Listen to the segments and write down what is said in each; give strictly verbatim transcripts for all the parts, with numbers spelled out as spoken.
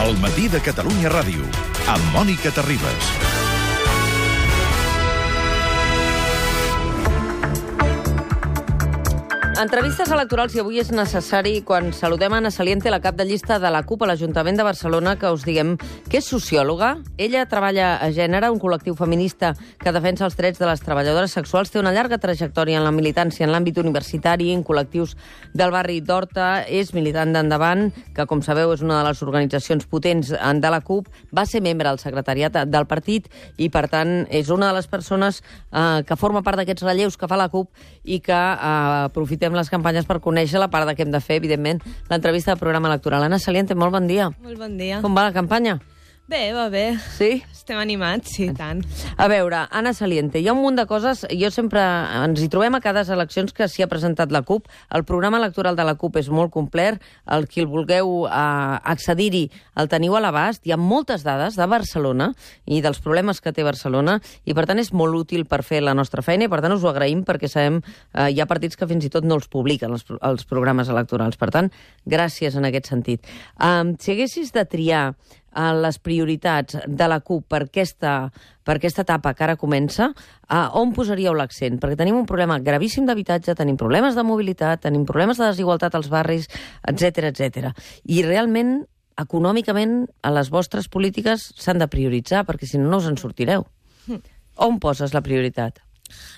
El matí de Catalunya Ràdio, amb Mònica Terribas. Entrevistes electorals, i avui és necessari, quan saludem Ana Saliente, la cap de llista de la CUP a l'Ajuntament de Barcelona, que us diguem que és sociòloga. Ella treballa a Gènere, un col·lectiu feminista que defensa els drets de les treballadores sexuals. Té una llarga trajectòria en la militància en l'àmbit universitari, en col·lectius del barri d'Horta. És militant d'Endavant, que, com sabeu, és una de les organitzacions potents de la CUP. Va ser membre del secretariat del partit i, per tant, és una de les persones eh, que forma part d'aquests relleus que fa la CUP i que eh, aprofitem les campanyes per conèixer-la, a part de que hem de fer, evidentment, l'entrevista del programa electoral. Ana Saliente, molt bon dia. Molt bon dia. Com va la campanya? Bé, va bé. Sí? Estem animats, sí, tant. A veure, Ana Saliente, hi ha un munt de coses, jo sempre ens hi trobem a cada eleccions que s'hi ha presentat la CUP. El programa electoral de la CUP és molt complet, el qui el vulgueu eh, accedir-hi el teniu a l'abast. Hi ha moltes dades de Barcelona i dels problemes que té Barcelona, i per tant és molt útil per fer la nostra feina, i per tant us ho agraïm, perquè sabem eh, hi ha partits que fins i tot no els publiquen, els, els programes electorals. Per tant, gràcies en aquest sentit. Um, si haguessis de triar a les prioritats de la CUP per aquesta, per aquesta etapa que ara comença, a on posaríeu l'accent? Perquè tenim un problema gravíssim d'habitatge, tenim problemes de mobilitat, tenim problemes de desigualtat als barris, etcètera, etcètera. I realment, econòmicament, a les vostres polítiques s'han de prioritzar, perquè si no, no us en sortireu. On poses la prioritat?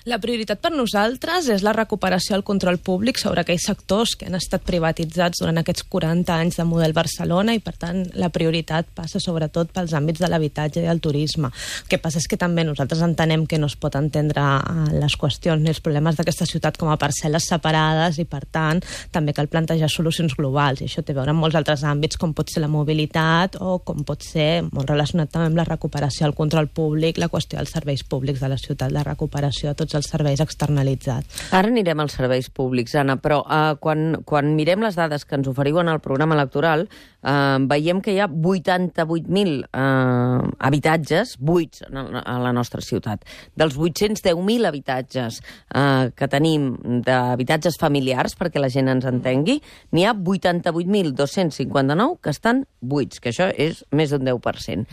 La prioritat per nosaltres és la recuperació del control públic sobre aquells sectors que han estat privatitzats durant aquests quaranta anys de model Barcelona, i per tant la prioritat passa sobretot pels àmbits de l'habitatge i el turisme. El que passa és que també nosaltres entenem que no es pot entendre les qüestions ni els problemes d'aquesta ciutat com a parcel·les separades, i per tant també cal plantejar solucions globals, i això té a veure amb molts altres àmbits, com pot ser la mobilitat o com pot ser molt relacionat també amb la recuperació del control públic, la qüestió dels serveis públics de la ciutat, la recuperació de tots els serveis externalitzats. Ara anirem als serveis públics, Anna, però eh, quan, quan mirem les dades que ens oferiu en el programa electoral, eh, veiem que hi ha vuitanta-vuit mil eh, habitatges buits a la nostra ciutat. Dels vuit-cents deu mil habitatges eh, que tenim d'habitatges familiars, perquè la gent ens entengui, n'hi ha vuitanta-vuit mil dos-cents cinquanta-nou que estan buits, que això és més d'un deu per cent.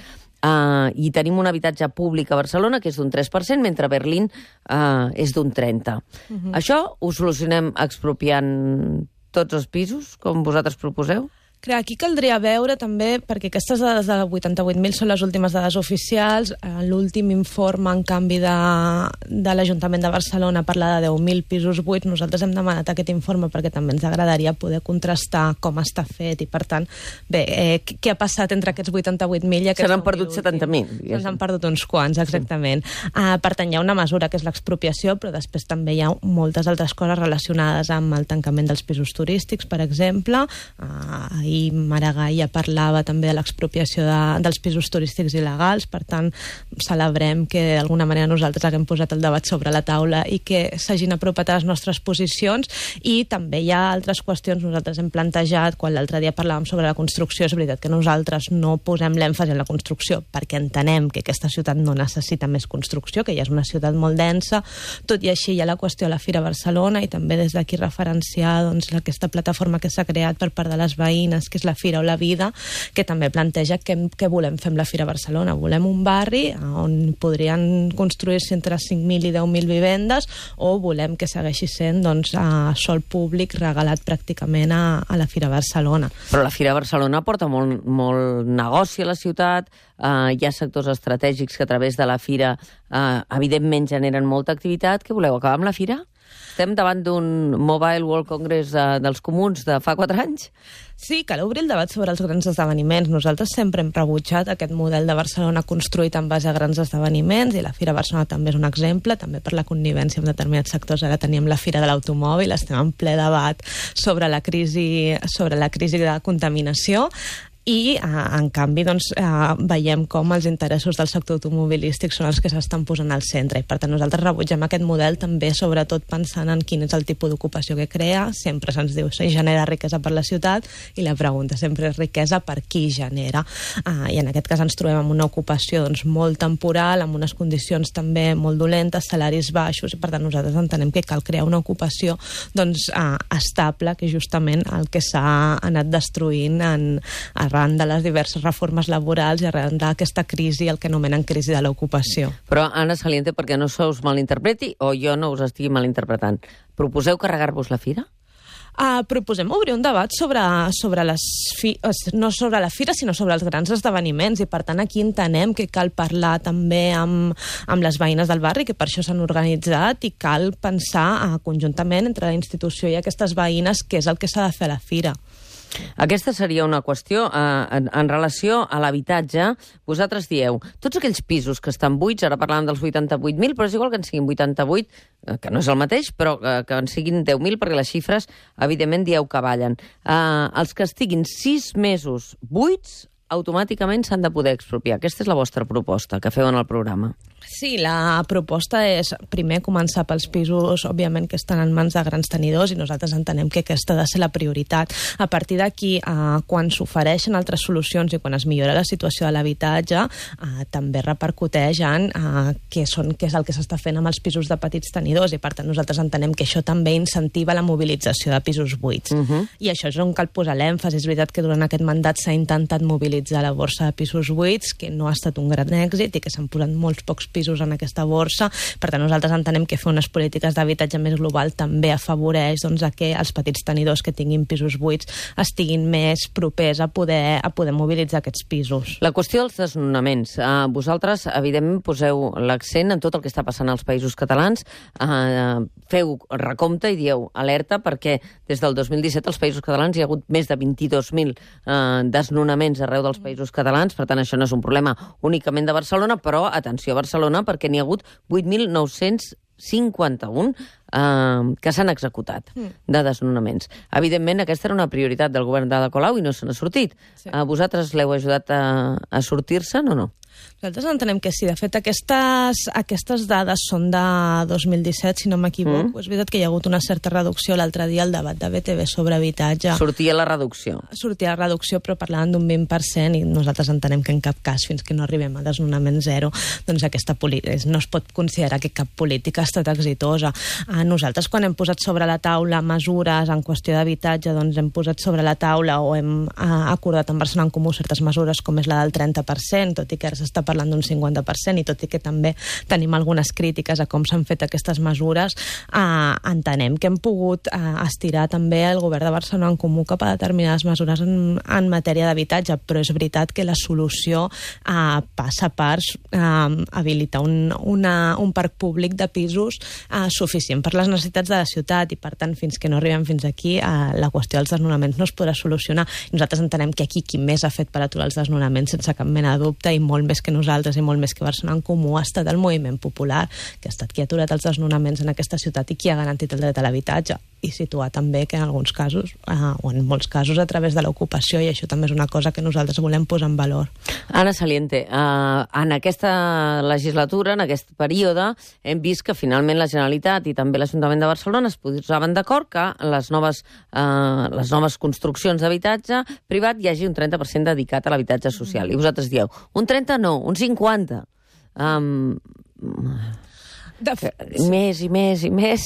Uh, i tenim un habitatge públic a Barcelona que és d'un tres per cent, mentre a Berlín uh, és d'un trenta per cent. Uh-huh. Això ho solucionem expropiant tots els pisos, com vosaltres proposeu? Clar, aquí caldria veure també, perquè aquestes dades de vuitanta-vuit mil són les últimes dades oficials. L'últim informe, en canvi, de, de l'Ajuntament de Barcelona parla de deu mil pisos buits. Nosaltres hem demanat aquest informe perquè també ens agradaria poder contrastar com està fet, i per tant, bé, eh, què ha passat entre aquests vuitanta-vuit mil i aquests... Se n'han perdut setanta mil. Se n'han perdut uns quants, exactament. Sí. Uh, per tant, hi ha una mesura que és l'expropiació, però després també hi ha moltes altres coses relacionades amb el tancament dels pisos turístics, per exemple. Uh, i Maragall ja parlava també de l'expropiació de, dels pisos turístics il·legals. Per tant, celebrem que d'alguna manera nosaltres haguem posat el debat sobre la taula i que s'hagin apropat a les nostres posicions. I també hi ha altres qüestions. Nosaltres hem plantejat, quan l'altre dia parlàvem sobre la construcció, és veritat que nosaltres no posem l'èmfasi en la construcció perquè entenem que aquesta ciutat no necessita més construcció, que ja és una ciutat molt densa. Tot i així hi ha la qüestió de la Fira Barcelona, i també des d'aquí referenciar doncs, aquesta plataforma que s'ha creat per part de les veïnes, que és la Fira o la Vida, que també planteja què, què volem fer amb la Fira Barcelona. Volem un barri on podrien construir-se entre cinc mil i deu mil vivendes, o volem que segueixi sent doncs, a sòl públic regalat pràcticament a, a la Fira Barcelona. Però la Fira Barcelona porta molt, molt negoci a la ciutat, eh, hi ha sectors estratègics que a través de la Fira eh, evidentment generen molta activitat. Què voleu, acabar amb la Fira? Estem davant d'un Mobile World Congress eh, dels comuns de fa quatre anys? Sí, cal obrir el debat sobre els grans esdeveniments. Nosaltres sempre hem rebutjat aquest model de Barcelona construït en base a grans esdeveniments, i la Fira Barcelona també és un exemple, també per la connivència amb determinats sectors. Ara teníem la Fira de l'Automòbil, estem en ple debat sobre la crisi, sobre la crisi de contaminació. I, eh, en canvi, doncs, eh, veiem com els interessos del sector automobilístic són els que s'estan posant al centre, i per tant nosaltres rebutgem aquest model també, sobretot pensant en quin és el tipus d'ocupació que crea. Sempre se'ns diu que genera riquesa per la ciutat, i la pregunta sempre és riquesa per qui genera. Eh, I en aquest cas ens trobem amb una ocupació doncs, molt temporal, amb unes condicions també molt dolentes, salaris baixos, i per tant nosaltres entenem que cal crear una ocupació doncs, eh, estable, que és justament el que s'ha anat destruint en, arran de les diverses reformes laborals i arran d'aquesta crisi, el que anomenen crisi de l'ocupació. Però, Anna Saliente, perquè no se us malinterpreti, o jo no us estigui malinterpretant, proposeu carregar-vos la fira? Uh, proposem obrir un debat sobre, sobre les fi, no sobre la fira, sinó sobre els grans esdeveniments, i per tant aquí entenem que cal parlar també amb, amb les veïnes del barri, que per això s'han organitzat, i cal pensar uh, conjuntament entre la institució i aquestes veïnes què és el que s'ha de fer a la fira. Aquesta seria una qüestió eh, en, en relació a l'habitatge. Vosaltres dieu, tots aquells pisos que estan buits, ara parlàvem dels vuitanta-vuit mil, però és igual que en siguin vuitanta-vuit, eh, que no és el mateix, però eh, que en siguin deu mil, perquè les xifres, evidentment, dieu que ballen. Eh, els que estiguin sis mesos buits, automàticament s'han de poder expropiar. Aquesta és la vostra proposta que feu en el programa. Sí, la proposta és primer començar pels pisos, òbviament, que estan en mans de grans tenidors, i nosaltres entenem que aquesta ha de ser la prioritat. A partir d'aquí, eh, quan s'ofereixen altres solucions i quan es millora la situació de l'habitatge, eh, també repercuteix en eh, què, són, què és el que s'està fent amb els pisos de petits tenidors, i per tant nosaltres entenem que això també incentiva la mobilització de pisos buits. Uh -huh. I això és on cal posar l'èmfasi. És veritat que durant aquest mandat s'ha intentat mobilitzar la borsa de pisos buits, que no ha estat un gran èxit i que s'han posat molts pocs pisos en aquesta borsa. Per tant, nosaltres entenem que fer unes polítiques d'habitatge més global també afavoreix doncs, a que els petits tenidors que tinguin pisos buits estiguin més propers a poder, a poder mobilitzar aquests pisos. La qüestió dels desnonaments. Uh, vosaltres, evidentment, poseu l'accent en tot el que està passant als països catalans. Uh, feu recompte i dieu alerta perquè des del dos mil disset als països catalans hi ha hagut més de vint-i-dos mil uh, desnonaments arreu dels països catalans. Per tant, això no és un problema únicament de Barcelona, però atenció a Barcelona, perquè n'hi ha hagut vuit mil nou-cents cinquanta-un eh, que s'han executat de desnonaments. Evidentment, aquesta era una prioritat del govern d'Ada Colau i no se n'ha sortit. Sí. Eh, vosaltres l'heu ajudat a, a sortir-se'n o no? Nosaltres entenem que sí. De fet, aquestes, aquestes dades són de dos mil disset, si no m'equivoco. Mm. És veritat que hi ha hagut una certa reducció l'altre dia al debat de B T V sobre habitatge. Sortia la reducció. Sortia la reducció, però parlaven d'un vint per cent, i nosaltres entenem que en cap cas, fins que no arribem a desnonament zero, doncs aquesta no es pot considerar que cap política ha estat exitosa. Nosaltres, quan hem posat sobre la taula mesures en qüestió d'habitatge, doncs hem posat sobre la taula o hem acordat amb Barcelona en Comú certes mesures, com és la del trenta per cent, tot i que ara s'està parlant d'un cinquanta per cent, i tot i que també tenim algunes crítiques a com s'han fet aquestes mesures, eh, entenem que hem pogut eh, estirar també el govern de Barcelona en Comú cap a determinades mesures en, en matèria d'habitatge, però és veritat que la solució eh, passa per eh, habilitar un, una, un parc públic de pisos eh, suficient per les necessitats de la ciutat, i per tant, fins que no arribem fins aquí, eh, la qüestió dels desnonaments no es podrà solucionar. Nosaltres entenem que aquí qui més ha fet per aturar els desnonaments, sense cap mena de dubte, i molt més que nosaltres i molt més que Barcelona en Comú, ha estat el moviment popular, que ha estat qui ha aturat els desnonaments en aquesta ciutat i qui ha garantit el dret a l'habitatge, i situar també que en alguns casos, eh, o en molts casos, a través de l'ocupació, i això també és una cosa que nosaltres volem posar en valor. Anna Saliente, eh, en aquesta legislatura, en aquest període, hem vist que finalment la Generalitat i també l'Ajuntament de Barcelona es posaven d'acord que les noves, eh, les noves construccions d'habitatge privat hi hagi un trenta per cent dedicat a l'habitatge social. I vosaltres dieu, un trenta no, un cinquanta. Um, de fet, més i més i més,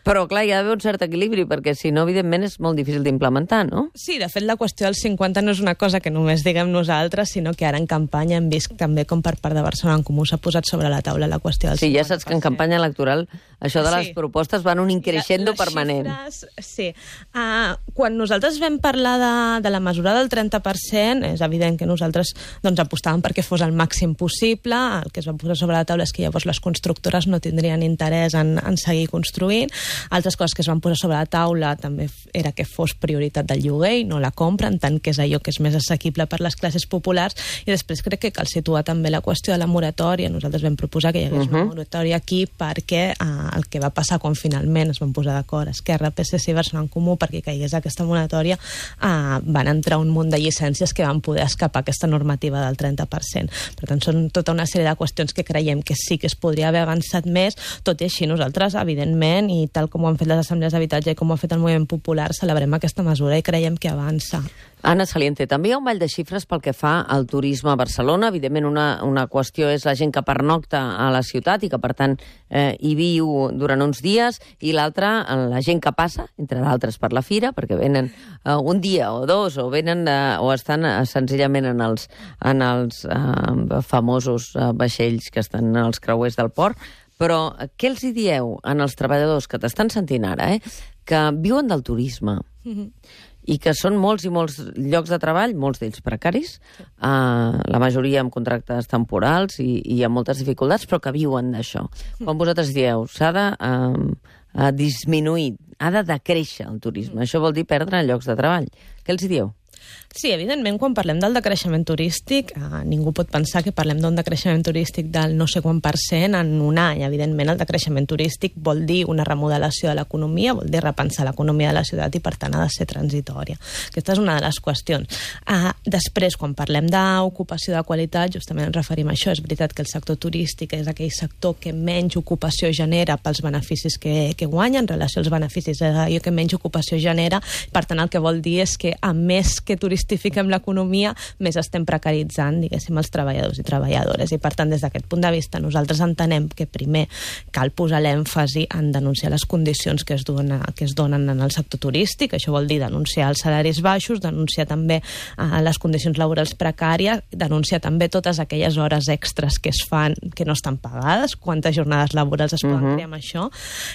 però clar, hi ha d'haver un cert equilibri, perquè si no, evidentment, és molt difícil d'implementar, no? Sí, de fet, la qüestió del cinquanta no és una cosa que només diguem nosaltres, sinó que ara en campanya hem vist també com per part de Barcelona en Comú s'ha posat sobre la taula la qüestió del sí, cinquanta per cent. Sí, ja saps que en campanya electoral això de les sí. propostes van un increixendo permanent. Xifres, sí. Uh, quan nosaltres vam parlar de, de la mesura del trenta per cent, és evident que nosaltres doncs, apostàvem perquè fos el màxim possible. El que es va posar sobre la taula és que llavors les constructores no tindrien interès en, en seguir construint. Altres coses que es van posar sobre la taula també era que fos prioritat del lloguer i no la compra, en tant que és allò que és més assequible per les classes populars. I després crec que cal situar també la qüestió de la moratòria. Nosaltres vam proposar que hi hagués uh -huh. una moratòria aquí perquè uh, el que va passar quan finalment es van posar d'acord Esquerra, P S C i Barcelona en Comú perquè caigués aquesta moratòria, uh, van entrar un munt de llicències que van poder escapar aquesta normativa del trenta per cent. Per tant, són tota una sèrie de qüestions que creiem que sí que es podria haver avançat més més. Tot i així, nosaltres, evidentment, i tal com ho han fet les assemblees d'habitatge i com ho ha fet el moviment popular, celebrem aquesta mesura i creiem que avança. Anna Saliente, també hi ha un ball de xifres pel que fa al turisme a Barcelona. Evidentment, una, una qüestió és la gent que pernocta a la ciutat i que, per tant, eh, hi viu durant uns dies, i l'altra, la gent que passa, entre d'altres, per la fira, perquè venen eh, un dia o dos, o venen eh, o estan eh, senzillament en els, en els eh, famosos eh, vaixells que estan als creuers del port. Però què els hi dieu en els treballadors que t'estan sentint ara, eh, que viuen del turisme? Mm-hmm. I que són molts i molts llocs de treball, molts d'ells precaris, sí. uh, la majoria amb contractes temporals i, i amb moltes dificultats, però que viuen d'això. Mm. Quan vosaltres dieu, s'ha de uh, disminuir, ha de decréixer el turisme, mm. això vol dir perdre llocs de treball. Què els hi dieu? Sí, evidentment, quan parlem del decreixement turístic, eh, ningú pot pensar que parlem d'un decreixement turístic del no sé quant per cent en un any. Evidentment, el decreixement turístic vol dir una remodelació de l'economia, vol dir repensar l'economia de la ciutat i, per tant, ha de ser transitòria. Aquesta és una de les qüestions. Eh, després, quan parlem d'ocupació de qualitat, justament ens referim a això. És veritat que el sector turístic és aquell sector que menys ocupació genera pels beneficis que, que guanya, en relació als beneficis és allò que menys ocupació genera. Per tant, el que vol dir és que, a més que turistifiquem l'economia, més estem precaritzant, diguéssim, els treballadors i treballadores. I, per tant, des d'aquest punt de vista, nosaltres entenem que primer cal posar l'èmfasi en denunciar les condicions que es, dona, que es donen en el sector turístic. Això vol dir denunciar els salaris baixos, denunciar també eh, les condicions laborals precàries, denunciar també totes aquelles hores extres que es fan, que no estan pagades, quantes jornades laborals es poden uh-huh. crear amb això,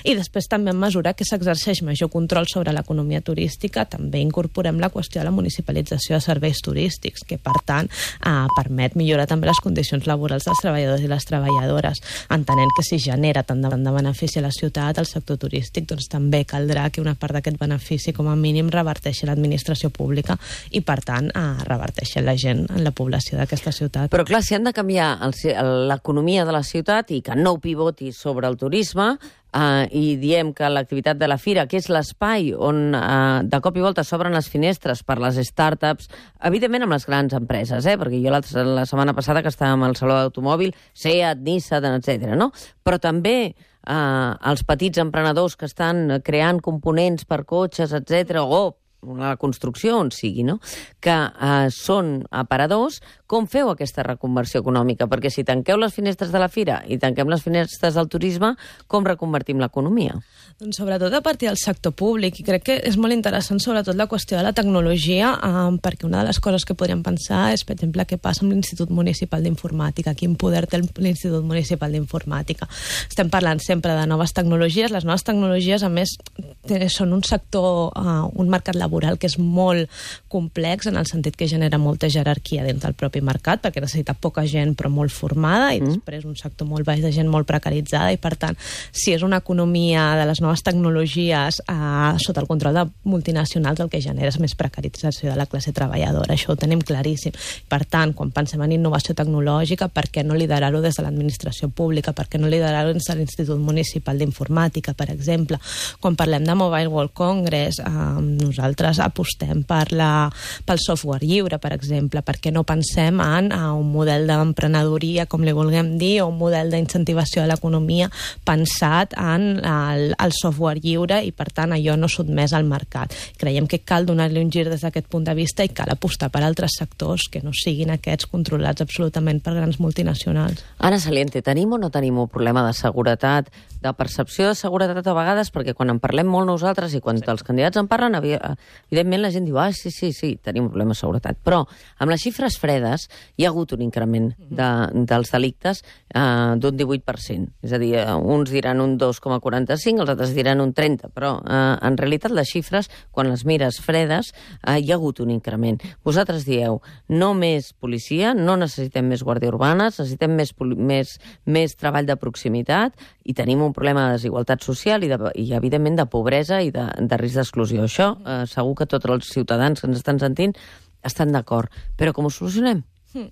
i després també en mesura que s'exerceix major control sobre l'economia turística, també incorporem la qüestió de la municipalització de serveis turístics, que per tant eh, permet millorar també les condicions laborals dels treballadors i les treballadores, entenent que si genera tant de, tant de benefici a la ciutat, al sector turístic, doncs també caldrà que una part d'aquest benefici com a mínim reverteixi l'administració pública i, per tant, eh, reverteixi la gent, en la població d'aquesta ciutat. Però clar, si han de canviar l'economia de la ciutat i que no pivoti sobre el turisme, Uh, i diem que l'activitat de la fira, que és l'espai on uh, de cop i volta s'obren les finestres per les startups, evidentment amb les grans empreses, eh? Perquè jo la, la setmana passada que estàvem al Saló d'Automòbil, Seat, Nissan, etcètera, no? Però també uh, els petits emprenedors que estan creant components per cotxes, etcètera, o la construcció, on sigui, no? Que eh, són aparadors. Com feu aquesta reconversió econòmica? Perquè si tanqueu les finestres de la fira i tanquem les finestres del turisme, com reconvertim l'economia? Doncs sobretot a partir del sector públic, i crec que és molt interessant sobretot la qüestió de la tecnologia, eh, perquè una de les coses que podríem pensar és, per exemple, què passa amb l'Institut Municipal d'Informàtica, quin poder té l'Institut Municipal d'Informàtica. Estem parlant sempre de noves tecnologies. Les noves tecnologies, a més, són un sector, eh, un mercat laboral que és molt complex, en el sentit que genera molta jerarquia dins del propi mercat, perquè necessita poca gent però molt formada, i mm. després un sector molt baix de gent molt precaritzada, i per tant, si és una economia de les noves tecnologies eh, sota el control de multinacionals, el que genera és més precarització de la classe treballadora. Això ho tenim claríssim. Per tant, quan pensem en innovació tecnològica, per què no liderar-ho des de l'administració pública? Per què no liderar-ho des de l'Institut Municipal d'Informàtica, per exemple? Quan parlem de Mobile World Congress, eh, nosaltres apostem per la, pel software lliure, per exemple. Per què no pensem en uh, un model d'emprenedoria, com li vulguem dir, o un model d'incentivació de l'economia pensat en el, el software lliure i, per tant, allò no sotmès al mercat. Creiem que cal donar-li un gir des d'aquest punt de vista i cal apostar per altres sectors que no siguin aquests controlats absolutament per grans multinacionals. Anna Saliente, tenim o no tenim un problema de seguretat, de percepció de seguretat a vegades, perquè quan en parlem molt nosaltres i quan sí. els candidats en parlen, evidentment la gent diu, ah, sí, sí, sí, tenim un problema de seguretat. Però amb les xifres fredes hi ha hagut un increment de, dels delictes eh, d'un divuit per cent. És a dir, uns diran un dos coma quaranta-cinc, els altres diran un trenta, però eh, en realitat les xifres, quan les mires fredes, eh, hi ha hagut un increment. Vosaltres dieu, no més policia, no necessitem més guàrdia urbana, necessitem més, més, més treball de proximitat i tenim un problema de desigualtat social i, de, i evidentment, de pobresa i de, de risc d'exclusió. Això eh, segur que tots els ciutadans que ens estan sentint estan d'acord. Però com ho solucionem? Mm.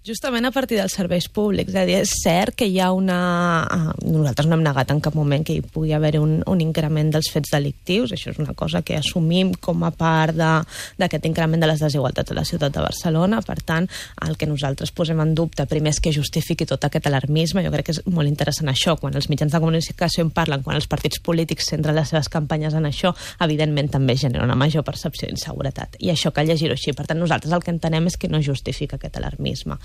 Justament a partir dels serveis públics. És a dir, és cert que hi ha una... Nosaltres no hem negat en cap moment que hi pugui haver un, un increment dels fets delictius. Això és una cosa que assumim com a part d'aquest increment de les desigualtats a la ciutat de Barcelona. Per tant, el que nosaltres posem en dubte primer és que justifiqui tot aquest alarmisme. Jo crec que és molt interessant això. Quan els mitjans de comunicació en parlen, quan els partits polítics centren les seves campanyes en això, evidentment també genera una major percepció d'inseguretat. I això cal llegir-ho així. Per tant, nosaltres el que entenem és que no justifica aquest alarmisme.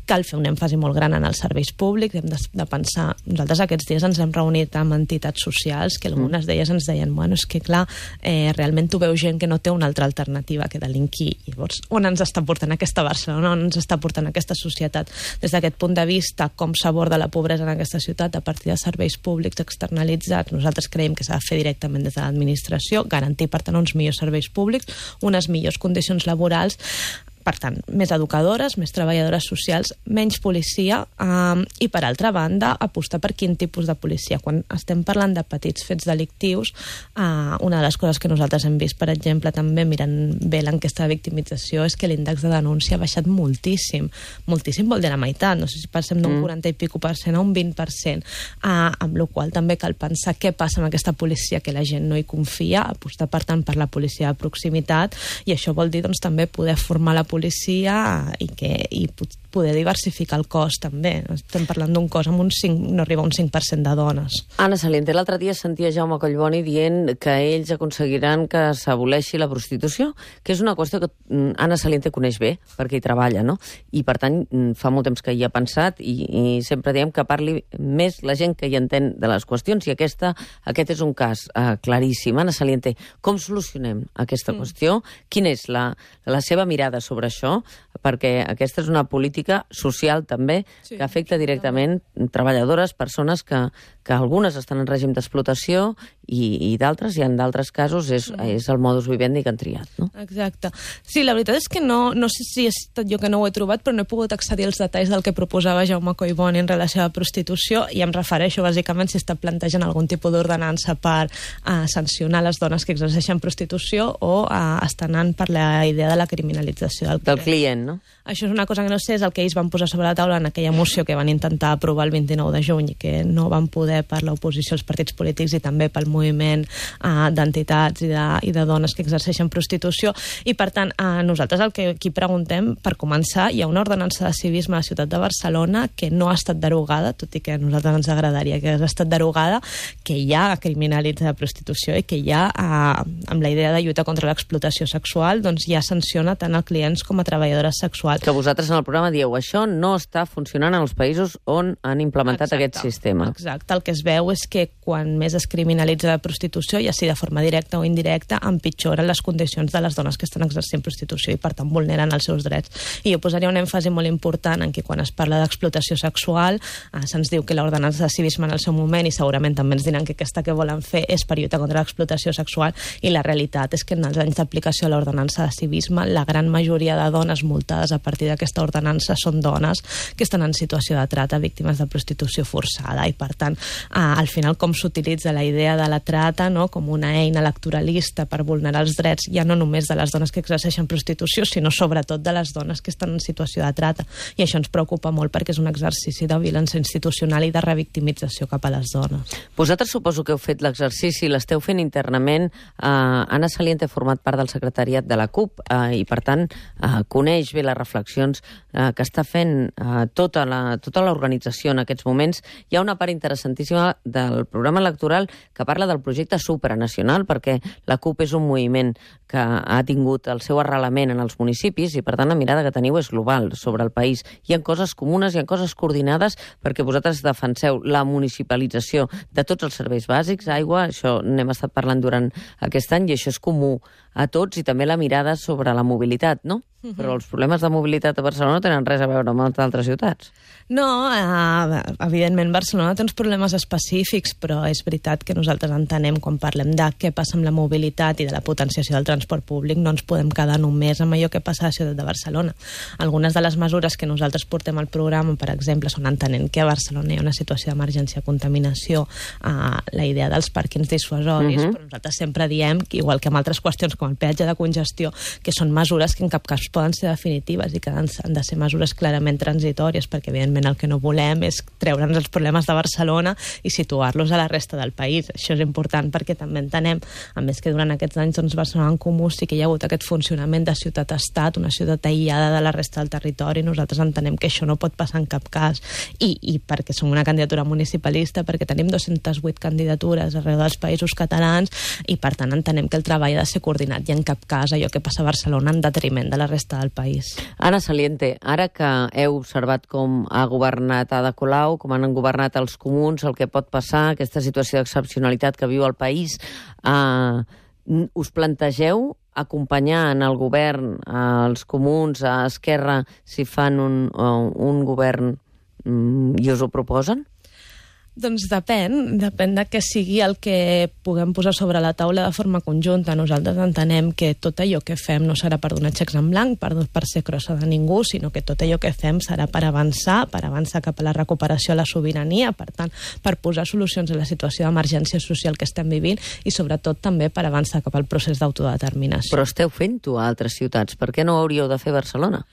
Cal fer un èmfasi molt gran en els serveis públics, hem de, de pensar... Nosaltres aquests dies ens hem reunit amb entitats socials que algunes d'elles ens deien, bueno, és que clar, eh, realment tu veus gent que no té una altra alternativa que delinquir. Llavors, on ens està portant aquesta Barcelona? On ens està portant aquesta societat? Des d'aquest punt de vista, com s'aborda la pobresa en aquesta ciutat a partir de serveis públics externalitzats, nosaltres creiem que s'ha de fer directament des de l'administració, garantir, per tant, uns millors serveis públics, unes millors condicions laborals. Per tant, més educadores, més treballadores socials, menys policia eh, i, per altra banda, apostar per quin tipus de policia. Quan estem parlant de petits fets delictius, eh, una de les coses que nosaltres hem vist, per exemple, també mirant bé l'enquesta de victimització, és que l'índex de denúncia ha baixat moltíssim. Moltíssim vol dir la meitat, no sé si passem d'un quaranta i pico per cent a un vint per cent, eh, amb la qual també cal pensar què passa amb aquesta policia que la gent no hi confia, apostar, per tant, per la policia de proximitat, i això vol dir doncs, també poder formar la policia i, que, i poder diversificar el cos també. Estem parlant d'un cos amb un cinc, no arriba a un cinc per cent de dones. Anna Saliente, l'altre dia sentia Jaume Collboni dient que ells aconseguiran que s'aboleixi la prostitució, que és una qüestió que Anna Saliente coneix bé, perquè hi treballa, no? I per tant fa molt temps que hi ha pensat i, i sempre diem que parli més la gent que hi entén de les qüestions, i aquesta, aquest és un cas uh, claríssim. Anna Saliente, com solucionem aquesta mm. qüestió? Quina és la, la seva mirada sobre això? Perquè aquesta és una política social també, sí, que afecta directament treballadores, persones que, que algunes estan en règim d'explotació i, i d'altres, i en d'altres casos és, mm. és el modus vivendi que han triat, no? Exacte. Sí, la veritat és que no, no sé si és tot jo que no ho he trobat, però no he pogut accedir als detalls del que proposava Jaume Collboni en relació a la prostitució, i em refereixo bàsicament si està plantejant algun tipus d'ordenança per uh, sancionar les dones que exerceixen prostitució o uh, està anant per la idea de la criminalització del client. Del client, no? Això és una cosa que no sé, és el que ells van posar sobre la taula en aquella moció que van intentar aprovar el vint-i-nou de juny i que no van poder per l'oposició als partits polítics i també pel moviment uh, d'entitats i, de, i de dones que exerceixen prostitució. I, per tant, uh, nosaltres el que aquí preguntem, per començar, hi ha una ordenança de civisme a la ciutat de Barcelona que no ha estat derogada, tot i que a nosaltres ens agradaria que hagués estat derogada, que ja criminalitza la prostitució i que ja, uh, amb la idea de lluita contra l'explotació sexual, doncs ja sanciona tant a clients com a treballadores sexuals. Que vosaltres en el programa dieu, això no està funcionant en els països on han implementat exacte, aquest sistema. Exacte, el que es veu és que quan més es criminalitza la prostitució, ja sigui de forma directa o indirecta, empitjoren les condicions de les dones que estan exercint prostitució i per tant vulneren els seus drets. I jo posaria un èmfasi molt important en que quan es parla d'explotació sexual eh, se'ns diu que l'ordenança de civisme en el seu moment, i segurament també ens diran que aquesta que volen fer és per lluitar contra l'explotació sexual, i la realitat és que en els anys d'aplicació de l'ordenança de civisme la gran majoria de dones multades a partir d'aquesta ordenança són dones que estan en situació de trata, víctimes de prostitució forçada, i per tant eh, al final com s'utilitza la idea de la trata, no, com una eina electoralista per vulnerar els drets ja no només de les dones que exerceixen prostitució, sinó sobretot de les dones que estan en situació de trata, i això ens preocupa molt perquè és un exercici de violència institucional i de revictimització cap a les dones. Vosaltres suposo que heu fet l'exercici, l'esteu fent internament. eh, Anna Saliente ha format part del secretariat de la CUP eh, i per tant eh, coneix bé les reflexions eh, que està fent eh, tota la, tota l'organització en aquests moments. Hi ha una part interessantíssima del programa electoral que parla del projecte supranacional, perquè la CUP és un moviment que ha tingut el seu arrelament en els municipis i per tant la mirada que teniu és global sobre el país. Hi ha coses comunes, hi ha coses coordinades, perquè vosaltres defenseu la municipalització de tots els serveis bàsics, aigua, això n'hem estat parlant durant aquest any i això és comú a tots, i també la mirada sobre la mobilitat, no? Uh-huh. Però els problemes de mobilitat a Barcelona no tenen res a veure amb altres ciutats. No, eh, evidentment Barcelona té uns problemes específics, però és veritat que nosaltres entenem quan parlem de què passa amb la mobilitat i de la potenciació del transport públic, no ens podem quedar només amb allò que passa a la ciutat de Barcelona. Algunes de les mesures que nosaltres portem al programa, per exemple, són entenent que a Barcelona hi ha una situació d'emergència de contaminació, eh, la idea dels pàrquings dissuasoris, uh-huh. però nosaltres sempre diem, igual que amb altres qüestions com el peatge de congestió, que són mesures que en cap cas doncs, poden ser definitives i que han, han de ser mesures clarament transitòries, perquè evidentment el que no volem és treure'ns els problemes de Barcelona i situar-los a la resta del país. Això és important perquè també entenem, a més que durant aquests anys doncs, Barcelona en Comú sí que hi ha hagut aquest funcionament de ciutat-estat, una ciutat aïllada de la resta del territori. Nosaltres entenem que això no pot passar en cap cas i, i perquè som una candidatura municipalista, perquè tenim dues-centes vuit candidatures arreu dels països catalans i per tant entenem que el treball ha de ser coordinat i en cap cas allò que passa a Barcelona en detriment de la resta del país. Anna Saliente, ara que heu observat com ha governat Ada Colau, com han governat els comuns, el que pot passar, aquesta situació d'excepcionalitat que viu el país, eh, us plantegeu acompanyar en el govern als comuns, a Esquerra, si fan un, un govern i us ho proposen? Doncs depèn, depèn de que sigui el que puguem posar sobre la taula de forma conjunta. Nosaltres entenem que tot allò que fem no serà per donar xecs en blanc, per, per ser crossa de ningú, sinó que tot allò que fem serà per avançar, per avançar cap a la recuperació de la sobirania, per tant, per posar solucions a la situació d'emergència social que estem vivint i sobretot també per avançar cap al procés d'autodeterminació. Però esteu fent-ho a altres ciutats, per què no ho hauríeu de fer a Barcelona?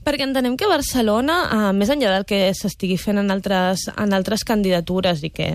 Perquè entenem que Barcelona, eh, més enllà del que s'estigui fent en altres, en altres candidatures i que,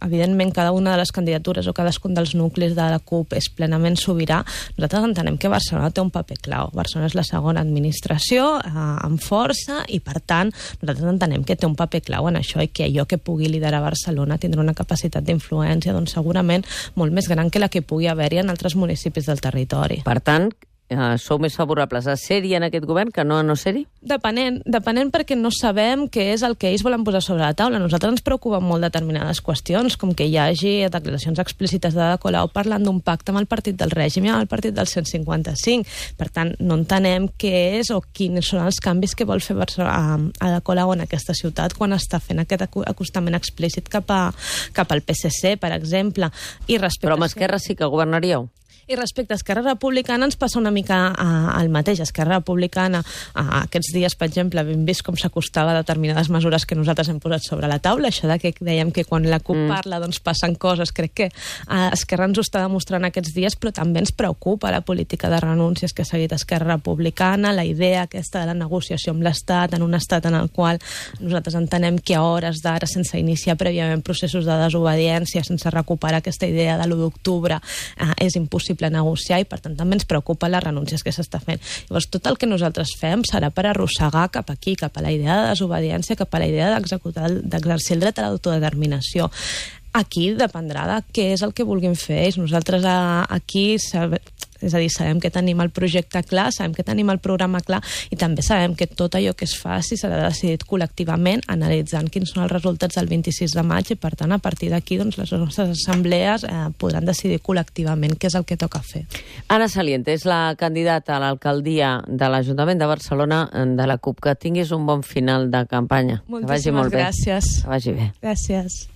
evidentment, cada una de les candidatures o cadascun dels nuclis de la CUP és plenament sobirà, nosaltres entenem que Barcelona té un paper clau. Barcelona és la segona administració eh, amb força i, per tant, nosaltres entenem que té un paper clau en això i que allò que pugui liderar Barcelona tindrà una capacitat d'influència doncs, segurament molt més gran que la que pugui haver-hi en altres municipis del territori. Per tant, Uh, sou més favorables a ser-hi en aquest govern que no a no ser-hi? Depenent, depenent perquè no sabem què és el que ells volen posar sobre la taula. A nosaltres ens preocupen molt determinades qüestions, com que hi hagi declaracions explícites d'Ada Colau parlant d'un pacte amb el partit del règim i amb el partit del cent cinquanta cinc. Per tant, no entenem què és o quins són els canvis que vol fer Ada Colau en aquesta ciutat quan està fent aquest acostament explícit cap, a, cap al P S C, per exemple. I Però amb Esquerra sí que governaríeu? I respecte a Esquerra Republicana ens passa una mica uh, el mateix. Esquerra Republicana uh, aquests dies, per exemple, hem vist com s'acostava a determinades mesures que nosaltres hem posat sobre la taula. Això de que dèiem que quan la CUP mm. parla doncs passen coses. Crec que uh, Esquerra ens ho està demostrant aquests dies, però també ens preocupa la política de renúncies que ha seguit Esquerra Republicana, la idea aquesta de la negociació amb l'Estat, en un estat en el qual nosaltres entenem que a hores d'ara, sense iniciar prèviament processos de desobediència, sense recuperar aquesta idea de l'u d'octubre, uh, és impossible negociar i per tant també ens preocupa les renúncies que s'està fent. Llavors tot el que nosaltres fem serà per arrossegar cap aquí, cap a la idea de desobediència, cap a la idea d'executar, d'exercir el dret a l'autodeterminació. Aquí dependrà de què és el que vulguin fer ells. Nosaltres aquí és a dir, sabem que tenim el projecte clar, sabem que tenim el programa clar i també sabem que tot allò que es faci serà decidit col·lectivament analitzant quins són els resultats del vint-i-sis de maig i per tant a partir d'aquí doncs, les nostres assemblees eh, podran decidir col·lectivament què és el que toca fer. Anna Saliente és la candidata a l'alcaldia de l'Ajuntament de Barcelona de la CUP. Que tinguis un bon final de campanya. Moltíssimes que vagi molt gràcies. bé. Que vagi bé. Gràcies.